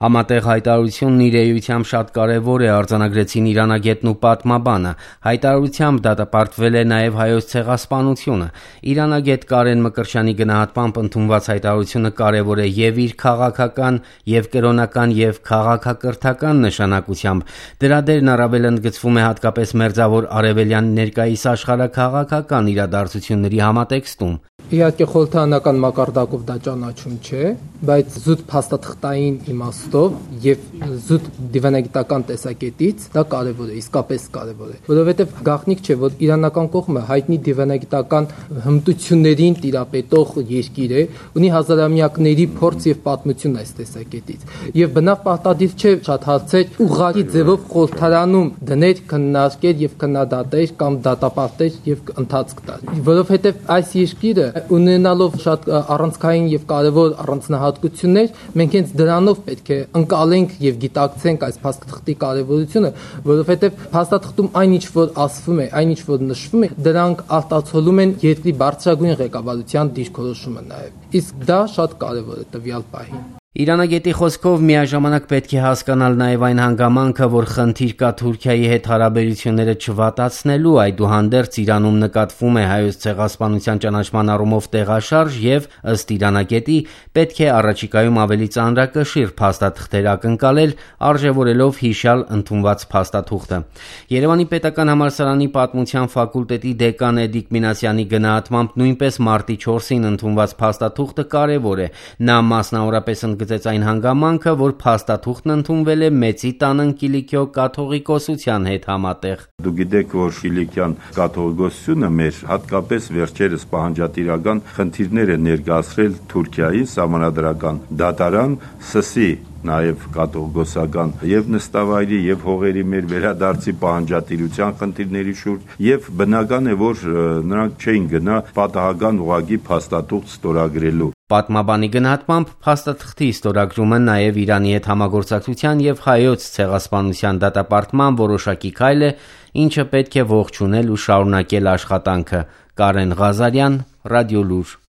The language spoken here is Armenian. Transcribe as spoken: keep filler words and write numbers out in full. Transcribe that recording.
Համատեղ հայտարարությունն իր էությամբ շատ կարևոր է, արձանագրեցին իրանագետն ու պատմաբանը։ Հայտարարությամբ դատապարտվել է նաև Հայոց ցեղասպանությունը։ Իրանագետ Կարեն Մկրտչյանի գնահատմամբ ընդունված հայտարարությունը կարևոր է և իր քաղաքական, և կրոնական, և քաղաքակրթական նշանակությամբ։ Դրա դերն առավել ընդգծվում է հատկապես Մերձավոր Արևելյան ներկայիս աշխարհաքաղաքական իրադարձությունների համատեքստում։ Իհարկե խորհրդարանական մակարդակով դա ճանաչում չէ, բայց զուտ փաստաթղթային իմաստով եւ զուտ դիվանագիտական տեսակետից դա կարեւոր է, իսկապես կարեւոր է, որովհետեւ գաղտնիք չէ, որ իրանական կողմը հայտնի դիվանագիտական հմտություններին տիրապետող երկիր է, ունի հազարամյակների փորձ եւ պատմություն այս տեսակետից։ Եվ բնավ պարտադիր չէ շատ հարցեր ուղղակի ձևով խորհրդարանում դներ, քննարկել եւ քննադատել կամ դատապարտել եւ ընթացք տալ, որովհետեւ այս երկիրը ունենալով շատ առանցքային եւ կարեւոր առանձնահատկություններ, մենք հենց դրանով պետք է ընկալենք եւ գիտակցենք այս փաստաթղթի կարեւորությունը, որովհետեւ փաստաթղթում այնինչ որ ասվում է, այնինչ որ նշվում է, դրանք արտացոլում են երկրի բարձրագույն ղեկավարության դիրքորոշումը նաեւ։ Իսկ դա շատ կարեւոր է տվյալ պահին։ Իրանագետի խոսքով միաժամանակ պետք է հասկանալ նաև այն հանգամանքը, որ խնդիր կա Թուրքիայի հետ հարաբերությունները չվատացնելու, այդուհանդերձ Իրանում նկատվում է Հայոց ցեղասպանության ճանաչման առումով տեղաշարժ և, ըստ Իրանագետի, պետք է առաջիկայում ավելի ծանրակշիռ փաստաթղթեր ակնկալել, արժևորելով հիշյալ ընդունված փաստաթուղթը։ Երևանի պետական համալսարանի պատմության ֆակուլտետի դեկան Էդիկ Մինասյանի գնահատմամբ նույնպես մարտի չորսին ընդունված փաստաթուղթը կարևոր է։ Նա մասնավորապես ընդգծեց այն հանգամանքը, որ փաստաթուղթն ընդունվել է Մեծի տանն Կիլիկիո կաթողիկոսության հետ համատեղ։ Դուք գիտեք, որ Կիլիկյան կաթողիկոսությունը մեր հատկապես վերջերս պահանջատիրական խնդիրներ է ներկայացրել Թուրքիայի սահմանադրական դատարան սսի նաև կաթողիկոսական եւ նստավայրի եւ հողերի մեր վերադարձի պահանջատիրության խնդիրների շուրջ եւ բնական է, որ նրանք չէին գնա պատահական ուղղակի փաստաթուղթ ստորագրելու։ Պատմաբանի գնահատմամբ փաստաթղթի ստորագրումը նաև Իրանի հետ համագործակցության և Հայոց ցեղասպանության դատապարտման որոշակի քայլ է, ինչը պետք է ողջունել ու շարունակել աշխատանքը։ Կարեն Ղազարյան, Ռադիոլուր։